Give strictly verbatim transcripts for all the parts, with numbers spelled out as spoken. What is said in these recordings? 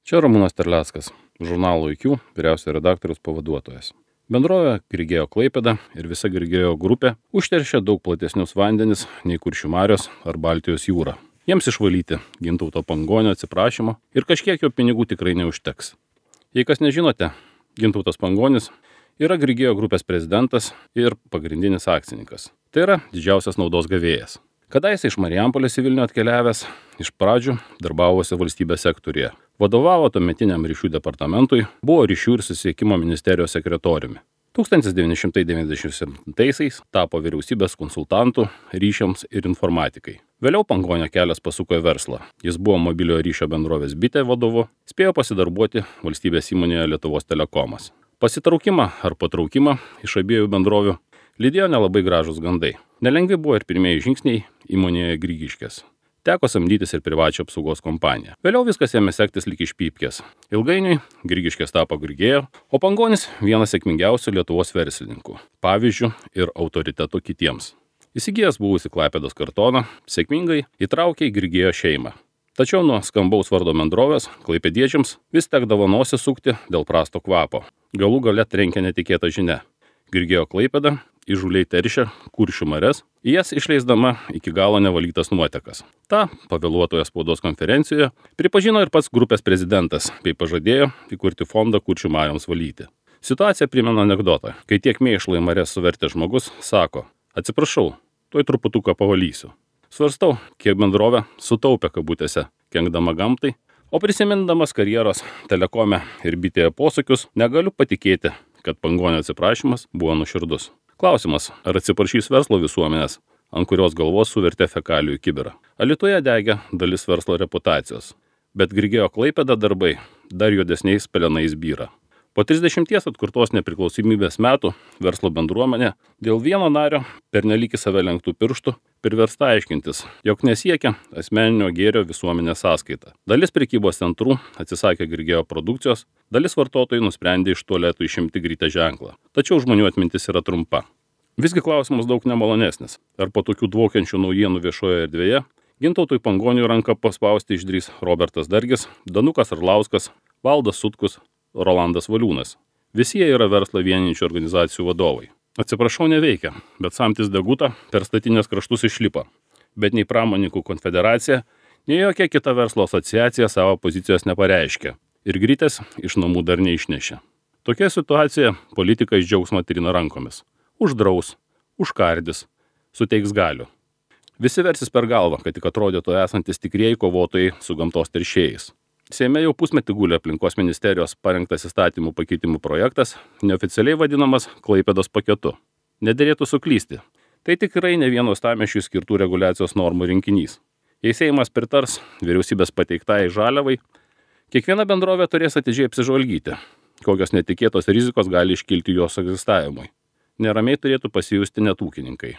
Čia Ramūnas Terleckas, žurnalo I Q vyriausiojo redaktoriaus pavaduotojas. Bendrovė Grigeo Klaipėda ir visa Grigeo grupė užteršia daug platesnius vandenis nei Kuršių marios ar Baltijos jūra. Jiems išvalyti Gintauto Pangonio atsiprašymo ir kažkiek jo pinigų tikrai neužteks. Jei kas nežinote, Gintautas Pangonis yra Grigeo grupės prezidentas ir pagrindinis akcininkas. Tai yra didžiausias naudos gavėjas. Kadaise iš Marijampolės į Vilnių atkeliavęs, iš pradžių darbavosi valstybės sektoriuje. Vadovavo tuometiniam ryšių departamentui, buvo ryšių ir susisiekimo ministerijos sekretoriumi. tūkstantis devyni šimtai devyniasdešimt septintaisiais tapo vyriausybės konsultantų ryšiams ir informatikai. Vėliau Pangonio kelias pasuko į verslą. Jis buvo mobiliojo ryšio bendrovės Bitė vadovu, spėjo pasidarbuoti valstybės įmonėje Lietuvos Telekomas. Pasitraukimą ar patraukimą iš abiejų bendrovių lydėjo nelabai gražūs gandai. Nelengvi buvo ir pirmieji žingsniai įmonėje Grigiškės. Teko samdytis ir privačią apsaugos kompaniją. Vėliau viskas ėmė sektis lyg iš pypkės. Ilgainiui Grigiškės tapo Grigeo, o Pangonis vienas sėkmingiausių Lietuvos verslininkų, pavyzdžių ir autoritetų kitiems. Įsigijęs buvusi Klaipėdos kartoną, sėkmingai įtraukė į Grigeo šeimą. Tačiau nuo skambaus vardo bendrovės klaipėdiečiams vis tekdavo nosį sukti dėl prasto kvapo. Galų gale trenkė netikėta žinia. Grigeo Klaipėda įžūliai teršia Kuršių marias, į jas išleisdama iki galo nevalytas nuotekas. Ta pavėluotoje spaudos konferencijoje pripažino ir pats grupės prezidentas, bei pažadėjo įkurti fondą Kuršių marioms valyti. Situacija primena anekdotą, kai tiek mėšlo į marias suvertė žmogus, sako: atsiprašau, tuoj truputuką pavalysiu. Svarstau, kiek bendrovė sutaupė kabutėse, kenkdama gamtai, o prisimindamas karjeros Telekome ir Bitėje posūkius, negaliu patikėti, kad Pangonio atsiprašymas buvo nuoširdus. Klausimas, ar atsiprašys verslo visuomenės, ant kurios galvos suvertė fekalijų kibirą. Alytuje degė dalis verslo reputacijos, bet Grigeo Klaipėda darbai dar juodesniais pelenais byra. Po trisdešimties atkurtos nepriklausomybės metų verslo bendruomenė dėl vieno nario pernelyg į save lenktų pirštų priversta aiškintis, jog nesiekia asmeninio gėrio visuomenės sąskaita. Dalis prekybos centrų atsisakė Grigeo produkcijos, dalis vartotojų nusprendė iš tualetų išimti grytę ženklą. Tačiau žmonių atmintis yra trumpa. Visgi klausimas daug nemalonesnis. Ar po tokių dvokiančių naujienų viešoje erdvėje Gintautui Pangoniui ranką paspausti išdrįs Robertas Dargis, Danukas Arlauskas, Valdas Sutkus, Rolandas Valiūnas. Visi jie yra verslą vienijančių organizacijų vadovai. Atsiprašau, neveikia, bet samtis degutą per statinės kraštus išlipa. Bet nei Pramonininkų konfederacija, nei jokia kita verslo asociacija savo pozicijos nepareiškia. Ir grytės iš namų dar neišnešė. Tokia situacija politika iš džiaugsmo trina rankomis. Uždraus, užkardys, suteiks galių. Visi versis per galvą, kad tik atrodytų esantis tikrieji kovotojai su gamtos teršėjais. Seime jau pusmetį guli aplinkos ministerijos parengtas įstatymų pakeitimų projektas, neoficialiai vadinamas Klaipėdos paketu. Nederėtų suklysti. Tai tikrai ne vieno uostamiesčiui skirtų reguliacijos normų rinkinys. Jei Seimas pritars vyriausybės pateiktai žaliavai, kiekviena bendrovė turės atidžiai apsižvalgyti, kokios netikėtos rizikos gali iškilti jos egzistavimui. Neramiai turėtų pasijusti net ūkininkai.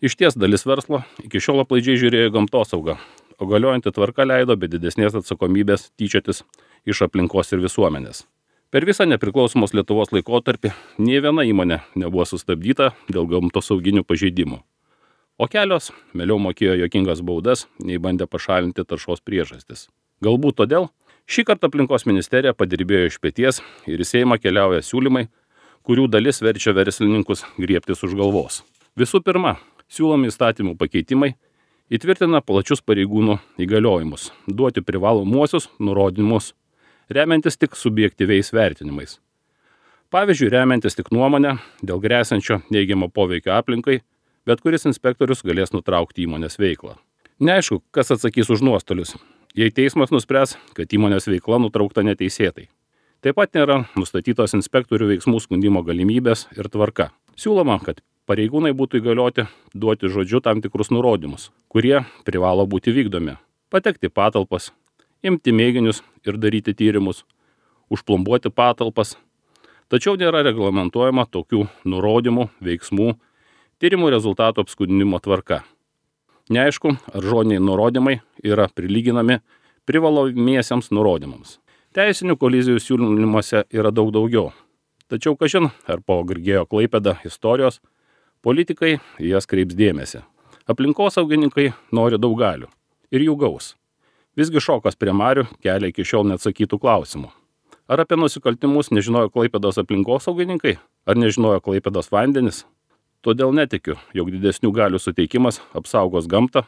Išties dalis verslo iki šiol aplaidžiai žiūrėjo į gamtosaugą, o galiojanti tvarka leido be didesnės atsakomybės tyčiotis iš aplinkos ir visuomenės. Per visą nepriklausomos Lietuvos laikotarpį nė viena įmonė nebuvo sustabdyta dėl gamtosauginių pažeidimų. O kelios mieliau mokėjo juokingas baudas, nei bandė pašalinti taršos priežastis. Galbūt todėl šį kartą aplinkos ministerija padirbėjo iš peties ir į Seimą keliauja siūlymai, kurių dalis verčia verslininkus griebtis už galvos. Visų pirma, siūlomi įstatymų pakeitimai įtvirtina plačius pareigūnų įgaliojimus, duoti privalomuosius nurodymus, remiantis tik subjektyviais vertinimais. Pavyzdžiui, remiantis tik nuomonę dėl grėsiančio neigiamo poveikio aplinkai, bet kuris inspektorius galės nutraukti įmonės veiklą. Neaišku, kas atsakys už nuostolius, jei teismas nuspręs, kad įmonės veikla nutraukta neteisėtai. Taip pat nėra nustatytos inspektorių veiksmų skundimo galimybės ir tvarka. Siūloma, kad pareigūnai būtų įgalioti duoti žodžiu tam tikrus nurodymus, kurie privalo būti vykdomi. Patekti patalpas, imti mėginius ir daryti tyrimus, užplombuoti patalpas. Tačiau nėra reglamentuojama tokių nurodymų, veiksmų, tyrimų rezultatų apskundimo tvarka. Neaišku, ar žodiniai nurodymai yra prilyginami privalomiesiems nurodymams. Teisinių kolizijų siūlymuose yra daug daugiau. Tačiau kažin, ar po Grigeo Klaipėda istorijos politikai jas kreips dėmesį. Aplinkosaugininkai nori daug galių ir jų gaus. Visgi šokas prie marių kelia iki šiol neatsakytų klausimų. Ar apie nusikaltimus nežinojo Klaipėdos aplinkosaugininkai, ar nežinojo Klaipėdos vandenis? Todėl netikiu, jog didesnių galių suteikimas apsaugos gamtą,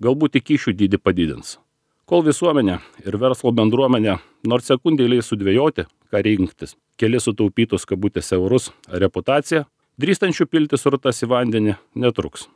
galbūt tik kyšių dydį padidins. Kol visuomenė ir verslo bendruomenė nors sekundėliai sudvejoti, ką rinktis, keli sutaupytus kabutėse eurus ar reputaciją, drįstančių pilti srutas į vandenį netruks.